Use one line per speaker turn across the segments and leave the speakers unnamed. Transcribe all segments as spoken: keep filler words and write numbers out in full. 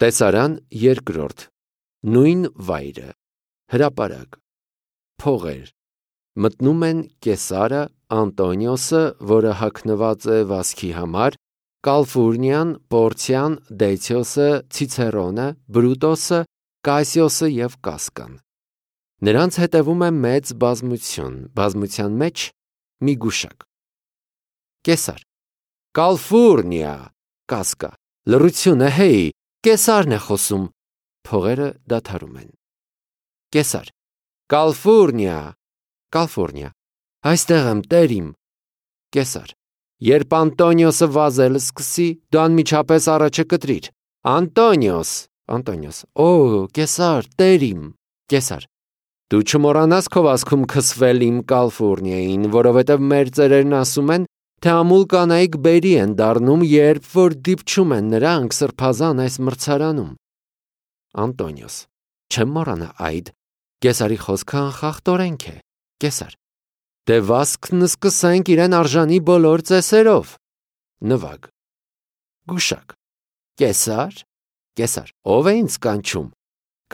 Տեսարան երկրորդ, նույն վայրը, հրապարակ, փողեր, մտնում են Կեսարը, Անտոնիոսը, որը հագնված է վազքի համար, Կալֆուրնիան, Պորցիան, Դեցիոսը, Ցիցերոնը, Բրուտոսը, Կասիոսը և Կասկան։ Նրանց հետևում է մեծ բազմություն, բազմության մեջ մի գուշակ։ Կեսար, Կալֆուրնիա, Կասկա, լռությունը, հեյ, Կեսարն է խոսում, փողերը դադարում են։ Կեսար, Կալֆուրնիա, Կալֆուրնիա, այստեղ եմ, տեր իմ։ Կեսար, երբ Անտոնիոսը վազել սկսի, դու անմիջապես առաջը կտրիր։ Անտոնիոս, Անտոնիոս, օ, Կեսար, տեր իմ։ Կեսար, դու չմոռանաս քո վազքում քսվել իմ Կալֆուրնիային, որովհետև մեր ծերերն ասում են, թե ամուլ կանայք բերի են դառնում, երբ որ դիպչում են նրանք սրբազան այս մրցարանում։ Անտոնիոս, չեմ մոռանա այդ, Կեսարի խոսքը անխախտորենք է։ Կեսար, դե վազքն սկսենք իրեն արժանի բոլոր ծեսերով։ Նվագ։ Գուշակ։ Կեսար, Կեսար, ով է ինձ կանչում։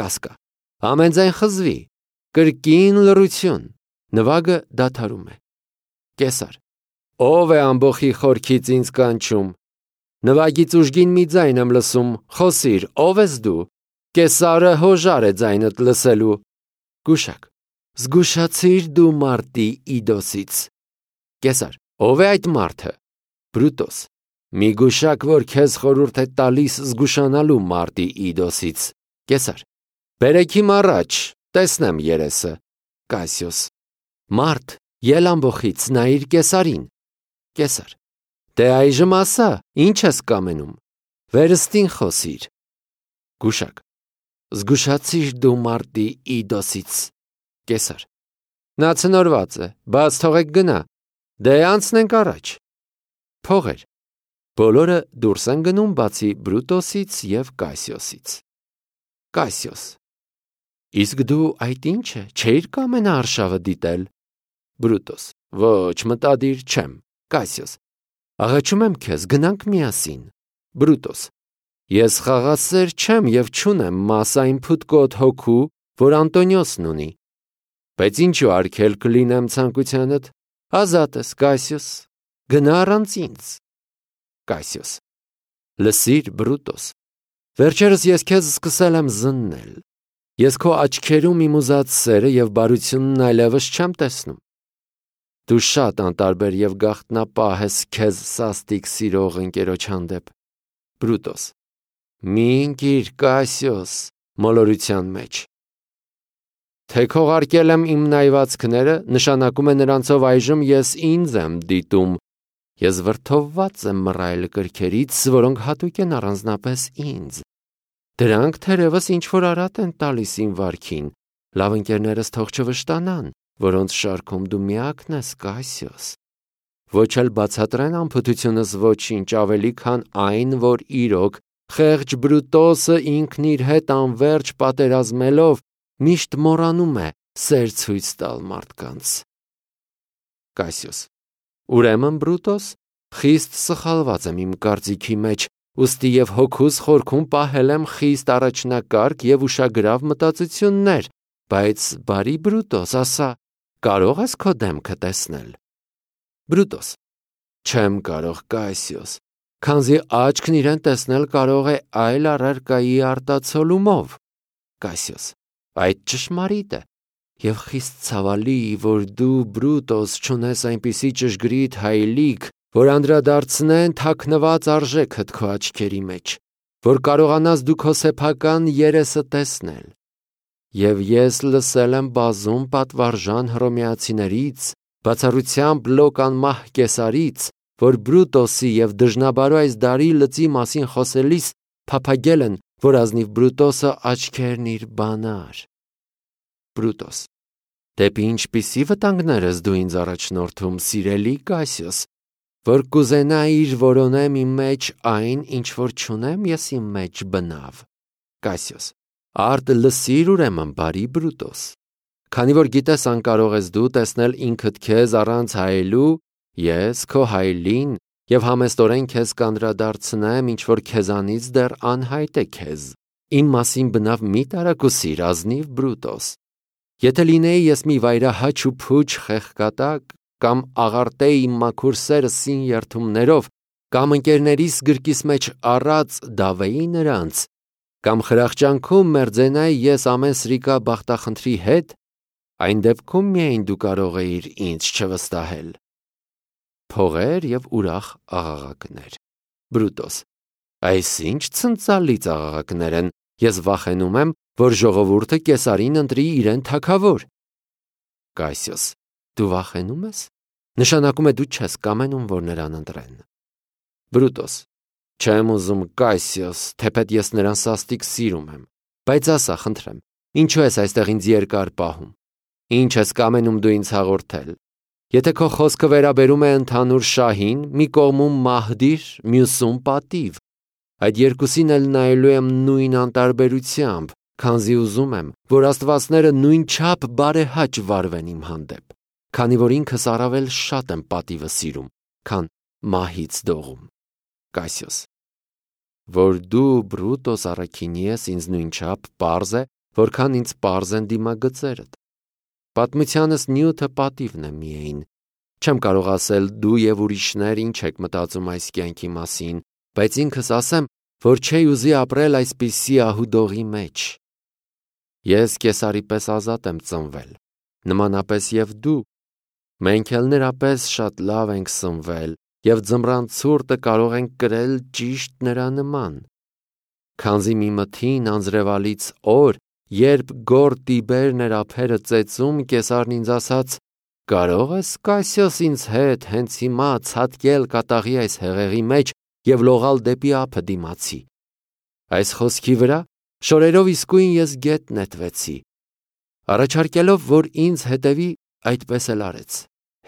Կասկա, համենձայն խզվի, կրկին լռություն, նվագը դադարում է։ Կեսար, ով է ամբոխի խորքից ինձ կանչում։ Նվագից ուժգին մի ձայն եմ լսում, խոսիր, ով ես դու։ Կեսարը հոժար է ձայնդ լսելու։ Գուշակ, զգուշացիր դու մարտի Իդոսից։ Կեսար, ով է այդ մարդը։ Բրուտոս, մի գուշակ, որ քեզ խորհուրդ է տալիս զգուշանալու մարտի Իդոսից։ Կեսար, բերեք իմ առաջ, տեսնեմ երեսը։ Կասիոս, մարդ, ել ամբոխից, նայիր Կեսարին։ Կեսար, դե այժմ ասա, ինչ ես կամենում։ Վերստին խոսիր։ Գուշակ, զգուշացիր դու մարտի Իդոսից։ Կեսար, նա ցնորված է, բաց թողեք գնա, դե անցնենք առաջ։ Փողեր, բոլորը դուրս են գնում բացի Բրուտոսից և Կասիոսից։ Կասիոս, իսկ դու այդ ինչ է, չէիր կամենա արշավը դիտել։ Բրուտոս, ոչ, մտադիր չեմ։ Կասիոս, աղաչում եմ քեզ, գնանք միասին։ Բրուտոս, ես խաղասեր չեմ և չունեմ մաս այն փութկոտ հոգու, որ Անտոնիոսն ունի։ Բայց ինչու արգել կլինեմ ցանկությանդ։ Ազատ ես, Կասիոս, գնա առանց ինձ։ Կասիոս, լսիր, Բրուտոս, վերջերս ես քեզ սկսել եմ զննել։ Ես քո աչքերում իմ ուզած սերը և բարությունն այլևս չեմ տեսնում։ Դու շատ անտարբեր և գաղտնապահ ես քեզ սաստիկ սիրող ընկերոջ հանդեպ։ Բրուտոս, մի ընկիր, Կասիոս, մոլորության մեջ։ Թե քողարկել եմ իմ նայվածքները, նշանակում է նրանցով այժմ ես ինձ եմ դիտում։ Ես վրդովված եմ մռայլ կրքերից, որոնք հատուկ են առանձնապես ինձ։ Դրանք թերևս ինչ-որ արատ են տալիս իմ վարքին, լավ ընկերներս թող չվշտանան, որոնց շարքում դու միակն ես, Կասիոս։ Ոչ էլ բացատրեն անփութությունս ոչինչ ավելի, քան այն, որ իրոք խեղճ Բրուտոսը ինքն իր հետ անվերջ պատերազմելով միշտ մոռանում է սեր ցույց տալ մարդկանց։ Կասիոս, ուրեմն Բրուտոս, խիստ սխալված եմ իմ կարծիքի մեջ, ուստի և հոգուս խորքում պահել եմ խիստ առաջնակարգ և ուշագրավ մտածություններ, բայց բարի Բրուտոս, ասա, կարող ես քո դեմքը տեսնել։ Բրուտոս, չեմ կարող, Կասիոս, քանզի աչքն իրեն տեսնել կարող է այլ առարկայի արտացոլումով։ Կասիոս, այդ ճշմարիտ է, և խիստ ցավալի, որ դու, Բրուտոս, չունես այնպիսի ճշգրիտ հայելիք, որ անդրադարձնեն թաքնված արժեքդ քո աչքերի մեջ, որ կարողանաս դու քո սեփական երեսը տեսնել։ Եվ ես լսել եմ բազում պատվարժան հռոմեացիներից, բացառությամբ լոկ անմահ Կեսարից, որ Բրուտոսի և դժնաբարո այս դարի լծի մասին խոսելիս փափագել են, որ ազնիվ Բրուտոսը աչքերն իր բանար։ Բրուտոս, դեպի ինչպիսի վտանգներ ես դու ինձ առաջնորդում, սիրելի Կասիոս, որ կուզենայիր որոնեմ իմ մեջ այն, ինչ որ չունեմ ես իմ մեջ բնավ։ Կասիոս, արդ լսիր ուրեմն, բարի Բրուտոս, քանի որ գիտես անկարող ես դու տեսնել ինքդ քեզ առանց հայելու, ես քո հայելին եւ համեստորեն քեզ կանդրադարձնեմ, ինչ որ քեզանից դեռ անհայտ է քեզ։ Իմ մասին բնավ մի տարակուսիր, ազնիվ Բրուտոս։ Եթե լինեի ես մի վայրահաչ ու փուչ խեղկատակ, կամ աղարտեի իմ մաքուր սերը սին երթումներով, կամ ընկերներիս գրկիս մեջ առած դավեի նրանց, կամ խրախճանքում մերձենայի ես ամեն սրիկա բախտախնդրի հետ, այն դեպքում միայն դու կարող էիր ինձ չվստահել։ Փողեր եւ ուրախ աղաղակներ։ Բրուտոս. Այսինչ ցնծալից աղաղակներ են, ես վախենում եմ, որ ժողովուրդը կեսարին ընտրի իրեն թագավոր։ Կասիոս. Դու վախենում ես։ Նշանակում է դու չես կամենում, որ նրան ընտրեն։ Բրուտոս. Չեմ ուզում, Կասիոս, թեպետ ես նրան սաստիկ սիրում եմ, բայց ասա, խնդրեմ, ինչու ես այստեղ ինձ երկար պահում։ Ինչ ես կամենում դու ինձ հաղորդել։ Եթե քո խոսքը վերաբերում է ընդհանուր շահին, մի կողմում մահդիր, մյուսում պատիվ։ Այդ երկուսին էլ նայելու եմ նույն անտարբերությամբ, քանզի ուզում եմ, որ աստվածները նույն չափ բարեհաճ վարվեն իմ հանդեպ, քանի որ ինքս առավել շատ եմ պատիվը սիրում, քան մահից դողում։ Կասիոս. Որ դու Բրուտոս առաքինի ես ինձ նույնչափ պարզ է, որքան ինձ պարզ են դիմագծերդ։ Պատմությանս նյութը պատիվն է միայն։ Չեմ կարող ասել դու եւ ուրիշներ ինչ եք մտածում այս կյանքի մասին, բայց ինքս ասեմ, որ չէի ուզի ապրել այսպիսի ահուդողի մեջ։ Ես կեսարի պես ազատ եմ ծնվել, նմանապես եւ դու։ Մենք էլ նրա պես շատ լավ ենք սնվել եւ ձմռան ցուրտը կարող ենք կրել ճիշտ նրա նման։ Քանզի մի մթին անձրևալից օր, երբ գոր Տիբերն էր ափերը ծեծում, կեսարն ինձ ասաց. «Կարող ես, Կասիոս, ինձ հետ հենց հիմա ցատկել կատաղի այս հեղեղի մեջ եւ լողալ դեպի ափը դիմացի»։ Այս խոսքի վրա շորերով իսկույն ես գետ նետվեցի։ Առաջարկելով, որ ինձ հետևի, այդպես էլ արեց։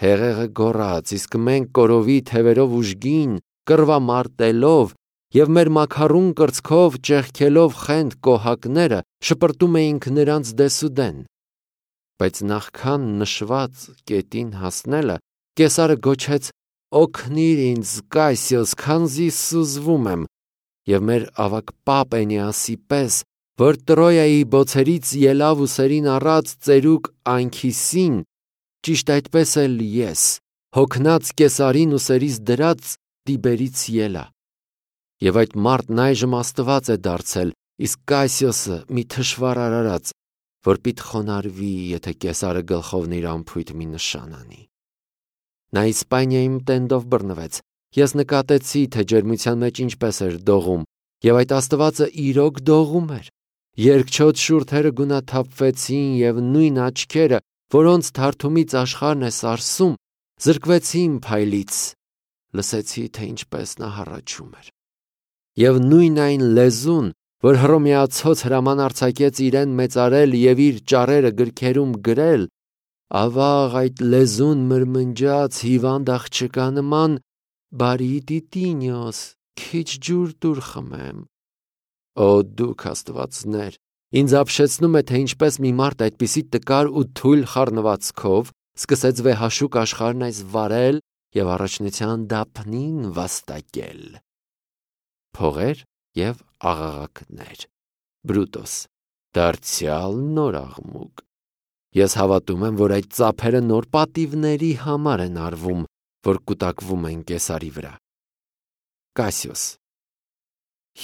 Հեղեղը գոռաց, իսկ մենք կորովի թևերով ուժգին, կռվամարտելով եւ մեր մաքարուն կրծքով ճեղքելով խենթ կոհակները շպրտում էինք նրանց դեսուդեն։ Բայց նախքան նշված կետին հասնելը, կեսարը գոչեց. «Օգնիր ինձ, Կասիոս, քանզի սուզվում եմ», եւ մեր ավագ պապ Էնեասի պես, որ Տրոյայի բոցերից ելավ ուսերին առած ծերուկ Անքիսին, ճիշտ այդպես էլ ես, հոգնած կեսարին ուսերից դրած Տիբերից ելա։ Եվ այդ մարդն այժմ աստված է դարձել, իսկ Կասիոսը մի թշվառ արարած, որ պիտ խոնարհվի, եթե կեսարը գլխովն իր ամփույթ մի նշան անի։ Նա Իսպանիայում տենդով բռնվեց։ Ես նկատեցի, թե ջերմության մեջ ինչպես էր դողում, եւ այդ աստվածը իրոք դողում էր։ Երկչոտ շուրթերը գունաթափվեցին եւ նույն աչքերը, որոնց թարթումից աշխարհն է սարսում, զրկվեցին փայլից։ Լսեցի, թե ինչպես նա հառաչում էր։ Եվ նույն այն լեզուն, որ հռոմեացոց հրաման արձակեց իրեն մեծարել եւ իր ճառերը գրքերում գրել, ավաղ այդ լեզուն մրմնջաց հիվանդ աղջկա նման. «Բարի Տիտինիոս, քիչ ջուր տուր խմեմ»։ Օ դուք աստվածներ, ինձ ապշեցնում է, թե ինչպես մի մարդ այդպիսի տկար ու թույլ խառնվածքով սկսեց վեհաշուկ աշխարհն այս վարել եւ առաջնության դափնին վաստակել։ Փողեր եւ աղաղակներ։ Բրուտոս. դարձյալ նոր աղմուկ։ Ես հավատում եմ, որ այդ ծափերը նոր պատիվների համար են արվում, որ կուտակվում են կեսարի վրա։ Կասիոս.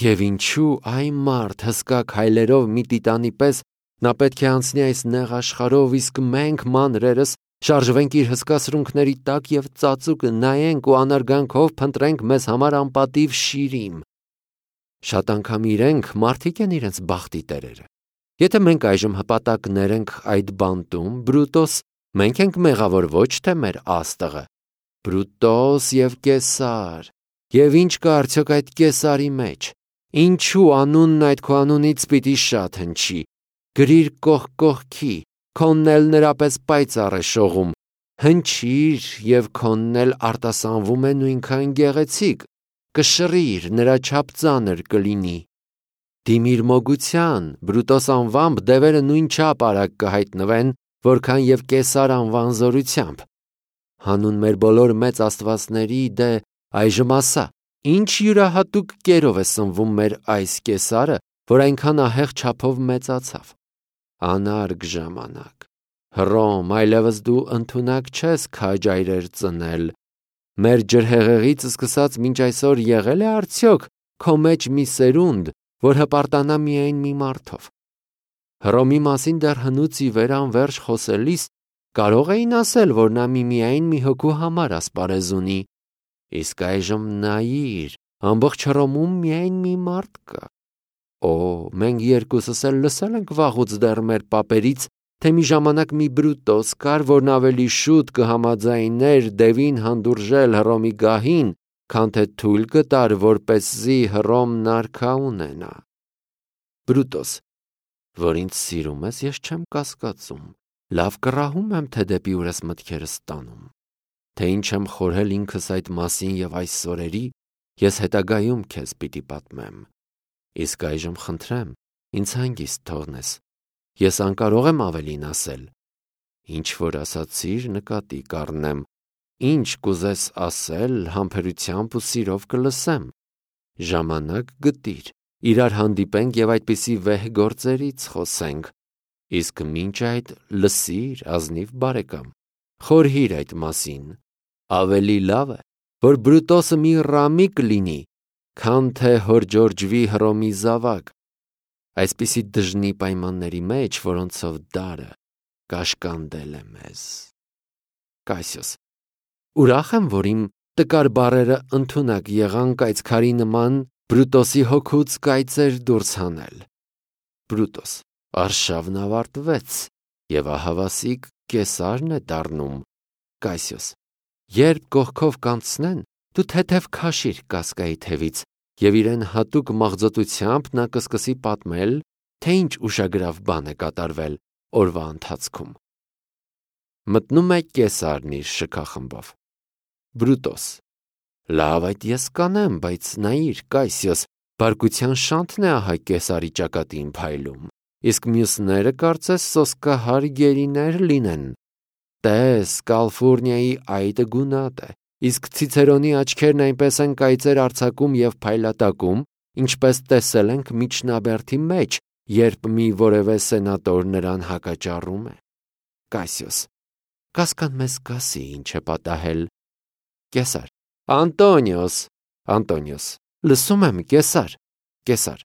Եվ ինչու այն մարդ հսկա քայլերով մի տիտանի պես նա պետք է անցնի այս նեղ աշխարհով, իսկ մենք մանրերս շարժվենք իր հսկա սրունքների տակ եւ ծածուկ նայենք ու անարգանքով փնտրենք մեզ համար անպատիվ շիրիմ։ Շատ անգամ իրենք մարդիկ են իրենց բախտի տերերը։ Եթե մենք այժմ հպատակներ ենք այդ բանտում, Բրուտոս, մենք ենք մեղավոր, ոչ թե մեր աստղը։ Բրուտոս եւ Կեսար։ Եվ ինչ կա արդյոք այդ Կեսարի մեջ։ Ինչու անունն այդ քո անունից պիտի շատ հնչի։ Գրիր կողք կողքի, քոնն էլ նրա պես պայծառ է շողում։ Հնչիր եւ քոնն էլ արտասանվում է նույնքան գեղեցիկ։ Կշռիր, նրա չափ ծանր կլինի։ Դիմիր մոգության, Բրուտոս անվամբ դևերը նույնչափ արագ կհայտնվեն, որքան եւ Կեսար անվան զորությամբ։ Հանուն մեր բոլոր մեծ աստվածների դե այժմ ասա, ինչ յուրահատուկ կերով է սնվում մեր այս Կեսարը, որ այնքան ահեղ չափով մեծացավ։ Անարգ ժամանակ։ Հռոմ, այլևս դու ընդունակ չես քաջ այրեր ծնել։ Մեր ջրհեղեղից սկսած մինչ այսօր եղել է արդյոք քո մեջ մի սերունդ, որ հպարտանա միայն մի մարդով։ Հռոմի մասին դեռ հնուց ի վեր անվերջ խոսելիս կարող էին ասել, որ նա միմիայն մի հոգու համար ասպարեզ ունի, իսկ այժմ նայիր, ամբողջ Հռոմում միայն մի մարդ կա։ Օ, մենք երկուսս էլ լսել ենք վաղուց դեռ մեր պապերից, թե մի ժամանակ մի Բրուտոս կար, որն ավելի շուտ կհամաձայներ Դևին հանդուրժել Հռոմի գահին, քան թե թույլ կտար, որպեսզի Հռոմն արքա ունենա։ Բրուտոս, որ ինձ սիրում ես, ես չեմ կասկածում, լավ կռահում եմ, թե դեպի ուր ես մտքերս տանում, թե ինչ եմ խորհել ինքս այդ մասին և այս սորերի, ես հետագայում քեզ պիտի պատմեմ։ Իսկ այժմ խնդրեմ, ինձ հանգիստ թողնես, ես անկարող եմ ավելին ասել։ Ինչ որ ասացիր, նկատի կառնեմ, ինչ կուզես ասել, համբերությամբ ու սիրով կլսեմ։ Ժամանակ գտիր, իրար հանդիպենք և այդպիսի վեհ գործերից խոսենք, իսկ մինչ այդ լսիր, ազնիվ բարեկամ, խորհիր այդ մասին, ավելի լավ է, որ Բրուտոսը մի ռամիկ լինի, քան թե հորջորջվի Հռոմի զավակ, այսպիսի դժնի պայմանների մեջ, որոնցով դարը կաշկանդել է մեզ։ Կասիոս, ուրախ եմ, որ իմ տկար բառերը ընդունակ եղան կայծքարի նման Բրուտոսի հոգուց կայծեր դուրս հանել։ Բրուտոս, արշավն ավարտվեց, և ահավասիկ Կեսարն է դառնում։ Կասիոս, երբ կողքով կանցնեն, դու թեթև քաշիր Կասկայի թևից, և իրեն հատուկ մաղձոտությամբ նա կսկսի պատմել, թե ինչ ուշագրավ բան է կատարվել օրվա ընթացքում։ Մտնում է Կեսարն իր շքախմբով։ Բրուտոս, լավ, այդ ես կանեմ, բայց նայիր, Կասիոս, բարկության շանթն է ահա Կեսարի ճակատին փայլում, իսկ մյուսները կարծես սոսկահար գերիներ լինեն։ Տես, Կալֆուրնիայի այտը գունատ է, իսկ Ցիցերոնի աչքերն այնպես են կայծեր արձակում և փայլատակում, ինչպես տեսել ենք միջնաբերդի մեջ, երբ մի որևէ սենատոր նրան հակաճառում է։ Կասիոս, Կասկան մեզ կասի ինչ է պատահել։ Կեսար, Անտոնիոս, Անտոնիոս, լսում եմ, Կեսար, Կեսար,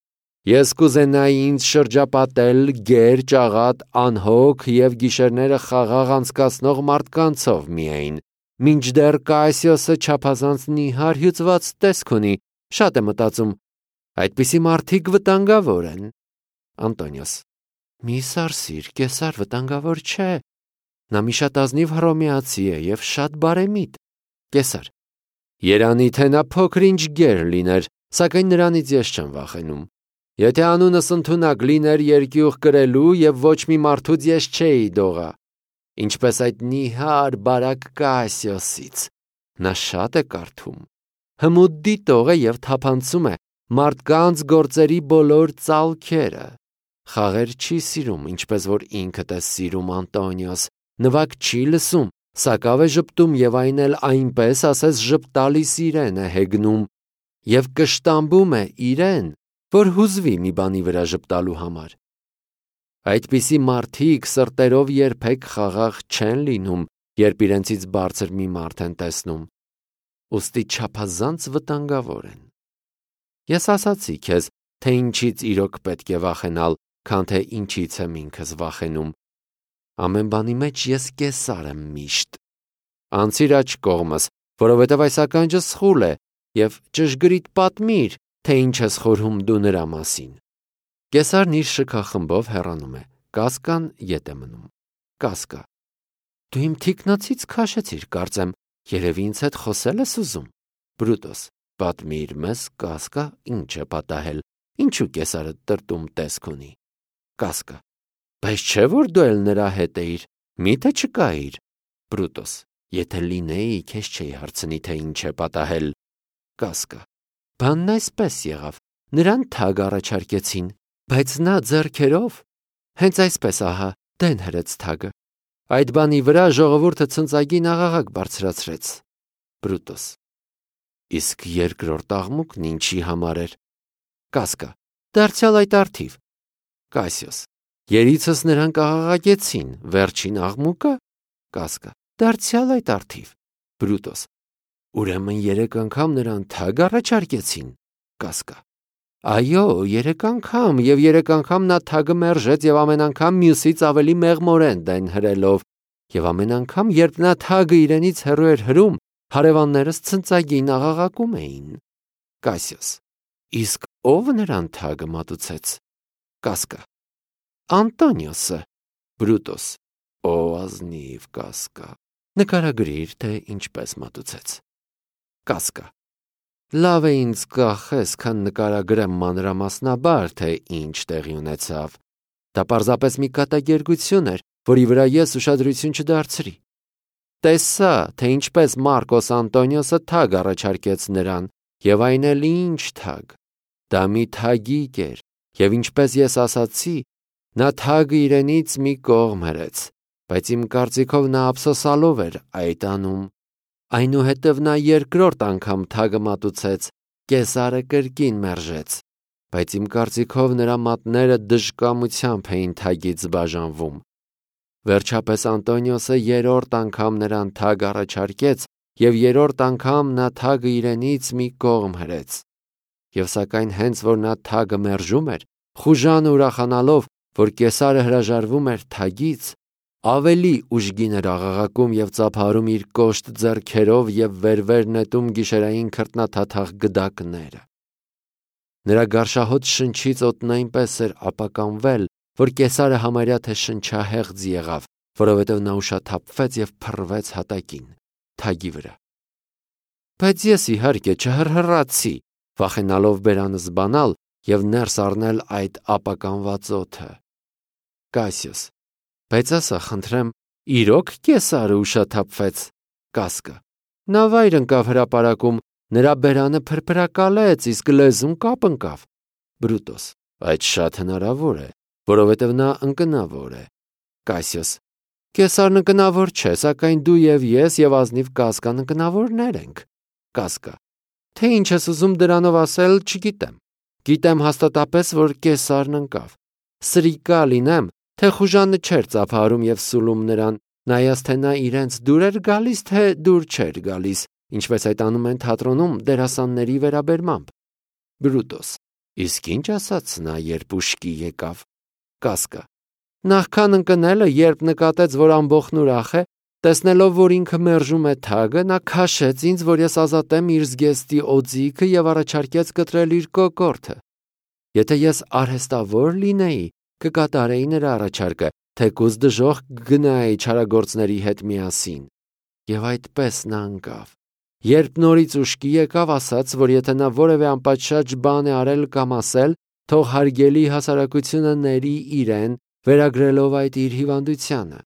ես կուզենայի ինձ շրջապատել գեր, ճաղատ, անհոգ և գիշերները խաղաղ անցկացնող մարդկանցով միայն, մինչդեռ Կասիոսը չափազանց նիհար հյուծված տեսք ունի, շատ է մտածում, այդպիսի մարդիկ վտանգավոր են։ Անտոնիոս, մի սարսիր, Կեսար վտանգավոր չէ, նա մի շատ ազնիվ հռոմեացի է և շատ բարեմիտ։ Կեսար, երանի թե նա փոքր-ինչ գեր լիներ, սակայն նրանից ես չեմ վախենում։ Եթե անունս ընդունակ լիներ երկյուղ կրելու և ոչ մի մարդուց ես չէի դողա, ինչպես այդ նիհար բարակ Կասիոսից, նա շատ է կարդում, հմուտ դիտող է և թափանցում է մարդկանց գործերի բոլոր ծալքերը, խաղեր չի սիրում, ինչպես որ ինքդ ես սիրում, Անտոնիոս, նվագ չի լսում, սակավ է ժպտում և այն էլ այնպես, ասես ժպտալիս իրեն է հեգնում և կշտամբում է իրեն, որ հուզվի մի բանի վրա ժպտալու համար։ Այդպիսի մարդիկ սրտերով երբեք խաղաղ չեն լինում, երբ իրենցից բարձր մի մարդ են տեսնում, ուստի չափազանց վտանգավոր են։ Ես ասացի քեզ, թե ինչից իրոք պետք է վախենալ, քան թե ինչից եմ ինքս վախենում։ Ամեն բանի մեջ ես Կեսար եմ միշտ։ Անցիր աջ կողմս, որովհետև այս ականջը սխուլ է, և ճշգրիտ պատմիր, թե ինչ ես խորհում դու նրա մասին։ Կեսարն իր շքախմբով հեռանում է, Կասկան ետ է մնում։ Կասկա, դու իմ թիկնոցից քաշեցիր, կարծեմ, երևի ինձ հետ խոսել ես ուզում։ Բրուտոս, պատմիր մեզ, Կասկա, ինչ է պատահել, ինչու Կեսարը տրտում տեսք ունի։ Կասկա, բայց չէ որ դու էլ նրա հետ էիր, միթե չկայիր։ Բրուտոս, եթե լինեի, քեզ չէի հարցնի, թե ինչ է պատահել։ Կասկա, բանն այսպես եղավ, նրան թագ առաջարկեցին, բայց նա ձեռքերով, հենց այսպես ահա, դեն հրեց թագը։ Այդ բանի վրա ժողովուրդը ցնծագին աղաղակ բարձրացրեց։ Բրուտոս, Իսկ երկրորդ աղմուկն ինչի համար էր։ Կասկա. դարձյալ այդ արդիվ։ Կասիոս. երիցս նրան կաղաղակեցին, վերջին աղմուկը։ Կասկա. դարձյալ այդ արդիվ։ Բրուտոս. ուրեմն երեք անգամ նրան թագ առաջարկեցին։ Կասկա. այո, երեք անգամ, եւ երեք անգամ նա թագը մերժեց եւ ամեն անգամ մյուսից ավելի մեղմորեն դեն հրելով, եւ ամեն անգամ, երբ նա թագը իրենից հեռու էր հրում, հարևաններս ցնծագին աղաղակում էին։ Կասիոս. իսկ ով նրան թագը մատուցեց։ Կասկա. Անտոնիոսը։ Բրուտոս. Ո ազնիվ Կասկա, նկարագրիր, թե ինչպես մատուցեց։ Կասկա. լավ է ինձ կախես, քան նկարագրեմ մանրամասնաբար, թե ինչ տեղի ունեցավ։ Դա պարզապես մի կատակերգություն էր, որի վրա ես ուշադրություն չդարձրի։ Տեսա, թե ինչպես Մարկոս Անտոնիոսը թագ առաջարկեց նրան, եւ այն էլ ինչ թագ։ Դա մի թագիկ էր, եւ ինչպես ես ասացի, նա թագը իրենից մի կողմ հրեց, բայց իմ կարծիքով նա ափսոսալով էր այդ անում։ Այնուհետև նա երկրորդ անգամ թագը մատուցեց, կեսարը կրկին մերժեց, բայց իմ կարծիքով նրա մատները դժկամությամբ էին թագից բաժանվում։ Վերջապես Անտոնիոսը երրորդ անգամ նրան թագ առաջարկեց, եւ երրորդ անգամ նա թագը իրենից մի կողմ հրեց։ Եվ սակայն հենց որ նա թագը մերժում էր, խուժանը ուրախանալով, որ կեսարը հրաժարվում էր թագից, ավելի ուժգին էր աղաղակում եւ ծափարում իր կոշտ ձեռքերով եւ վեր-վեր նետում գիշերային քրտնաթաթախ գդակները։ Նրա գարշահոտ շնչից օդն այնպես էր ապականվել, որ կեսարը համարյա թե շնչահեղձ եղավ, որովհետև նա ուշաթափվեց եւ փռվեց հատակին, թագի վրա։ Բայց ես իհարկե չհրհրացի, վախենալով բերանս բանալ եւ ներս առնել այդ ապականված օդը։ Կասիոս. բայց ասա, խնդրեմ, իրոք կեսարը ուշաթափվեց։ Կասկա. նա վայր ընկավ հրապարակում, նրա բերանը փրփրակալեց, իսկ լեզուն կապ ընկավ։ Բրուտոս. այդ շատ հնարավոր է, որովհետև նա ընկնավոր է։ Կասիոս. կեսարն ընկնավոր չէ, սակայն դու եւ ես եւ ազնիվ Կասկան ընկնավորներ ենք։ Կասկա. թե ինչ ես ուզում դրանով ասել, չգիտեմ։ Գիտեմ հաստատապես, որ կեսարն ընկավ։ Սրիկա լինեմ, թե խուժանը չէր ծափարում եւ սուլում նրան, նայած թե նա իրենց դուր էր գալիս, թե դուր չէր գալիս, ինչպես այդ անում են թատրոնում դերասանների վերաբերմամբ։ Բրուտոս. իսկ ինչ ասաց նա, երբ ուշքի եկավ։ Կասկա. նախքան ընկնելը, երբ նկատեց, որ ամբողջն ուրախ է, տեսնելով, որ ինքը մերժում է թագը, նա քաշեց ինձ, որ ես ազատեմ իր զգեստի օձիքը եւ առաջարկեց կտրել իր կոկորդը։ Եթե ես արհեստավոր լինեի, կկատարեի նրա առաջարկը, թեկուզ դժոխք գնայի չարագործների հետ միասին։ Եվ այդպես նա ընկավ։ Երբ նորից ուշքի եկավ, ասաց, որ եթե նա որևէ անպատշաճ բան է արել կամ ասել, թող հարգելի հասարակությունը ների իրեն, վերագրելով այդ իր հիվանդությանը։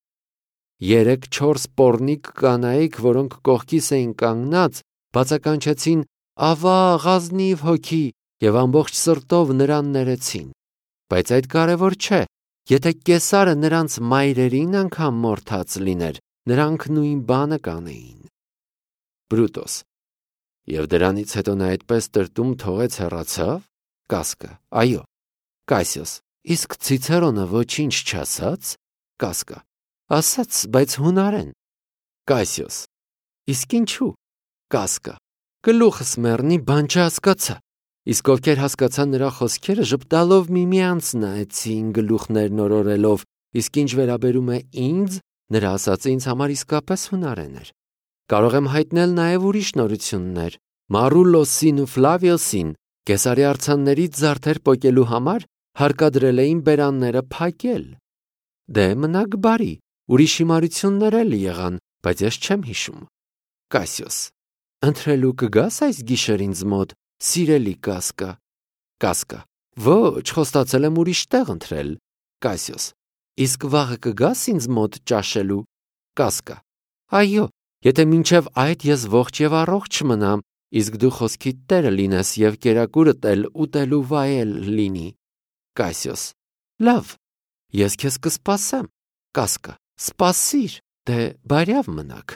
Երեք-չորս պոռնիկ կանայք, որոնք կողքիս էին կանգնած, բացականչեցին «Ավա, ազնիվ հոգի» եւ ամբողջ սրտով նրան ներեցին։ Բայց այդ կարևոր չէ, եթե կեսարը նրանց մայրերին անգամ մորթած լիներ, նրանք նույն բանը կանեին։ Բրուտոս. եւ դրանից հետո նա այդպես տրտում թողեց հեռացավ։ Կասկա. այո։ Կասիոս. իսկ Ցիցերոնը ոչինչ չասաց։ Կասկա. ասաց, բայց հունարեն։ Կասիոս. իսկ ինչու։ Կասկա. գլուխս մեռնի, բան չհասկացա։ Իսկ ովքեր հասկացան նրա խոսքերը, ժպտալով միմյանց նայեցին գլուխներն օրորելով, իսկ ինչ վերաբերում է ինձ, նրա ասածը ինձ համար իսկապես հունարեն էր։ Կարող եմ հայտնել նաև ուրիշ նորություններ։ Մարուլոսին ու Ֆլավիոսին կեսարի արձաններից զարդեր պոկելու համար հարկադրել էին բերանները փակել։ Դե մնաք բարի, ուրիշ հիմարություններ էլ եղան, բայց ես չեմ հիշում։ Կասիոս. ընթրելու կգաս այս գիշեր ինձ մոտ, սիրելի Կասկա։ Կասկա. ոչ, խոստացել եմ ուրիշ տեղ ընթրել։ Կասիոս. իսկ վաղը կգաս ինձ մոտ ճաշելու։ Կասկա. այո, եթե մինչև այդ ես ողջ եւ առողջ մնամ, իսկ դու խոսքիդ տերը լինես եւ կերակուրդ էլ ուտելու վայել լինի։ Կասիոս. լավ, ես քեզ կսպասեմ։ Կասկա. սպասիր, դե բարյավ մնաք։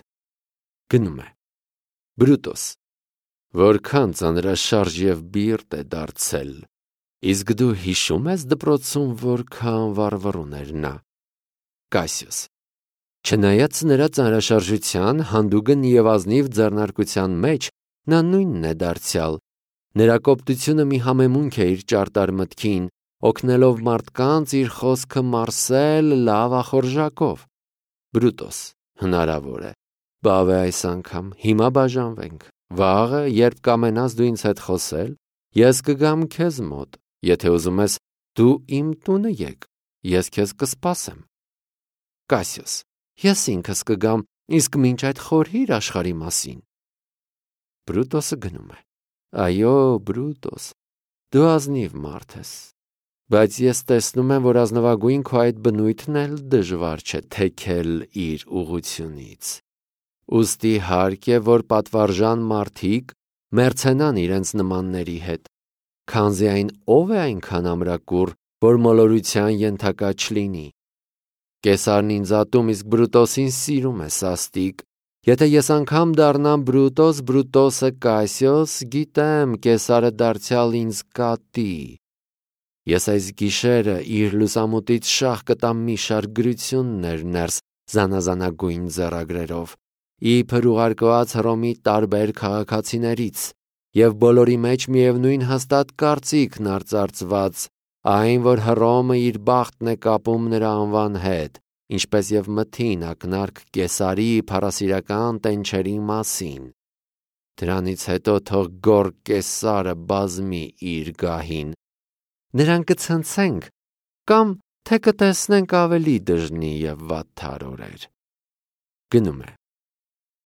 Գնում է։ Բրուտոս. որքան ծանրաշարժ և բիրտ է դարձել, իսկ դու հիշում ես դպրոցում որքան վառվռուն էր նա։ Կասիոս. Չնայած նրա ծանրաշարժության, հանդուգն և ազնիվ ձեռնարկության մեջ, նա նույնն է դարձյալ։ Նրա կոպտությունը մի համեմունք է իր ճարտար մտքին, օգնելով մարդկանց իր խոսքը մարսել լավ ախորժակով։ Բրուտոս. հնարավոր է։ Բավե այս անգամ, հիմա բաժանվենք։ Վաղը, երբ կամենաս դու ինձ հետ խոսել, ես կգամ քեզ մոտ, եթե ուզում ես, դու իմ տունը եկ, ես քեզ կսպասեմ։ Կասիոս. Ես ինքս կգամ, իսկ մինչ այդ խորհիր աշխարհի մասին։ Բրուտոսը գնում է։ Այո, Բրուտոս, դու ազնիվ մարդ ես, բայց ես տեսնում եմ, որ ազնվագույն քո այդ բնույթն էլ դժվար չէ թեքել իր ուղղությունից։ Ուստի հարկ է, որ պատվարժան մարդիկ մերձենան իրենց նմանների հետ, քանզի այն ով է այնքան ամրակուռ, որ մոլորության ենթակա չլինի։ Կեսարն ինձ ատում, իսկ Բրուտոսին սիրում է սաստիկ։ Եթե ես անգամ դառնամ Բրուտոս, Բրուտոսը Կասիոս, գիտեմ, Կեսարը դարձյալ ինձ կատի։ Ես այս գիշերը իր լուսամուտից շաղ կտամ մի շարք գրություններ ներս զանազանագույն ձեռագրերով, իբր ուղարկված Հռոմի տարբեր քաղաքացիներից, և բոլորի մեջ միևնույն հաստատ կարծիքն արծարծված, այն, որ Հռոմը իր բախտն է կապում նրա անվան հետ, ինչպես և մթին ակնարկ Կեսարի փառասիրական տենչերի մասին։ Դրանից հետո թող գոռ Կեսարը բազմի իր գահին։ Նրան կցնցենք, կամ թե կտեսնենք ավելի դժնի և վատթար օրեր։ Գնում է։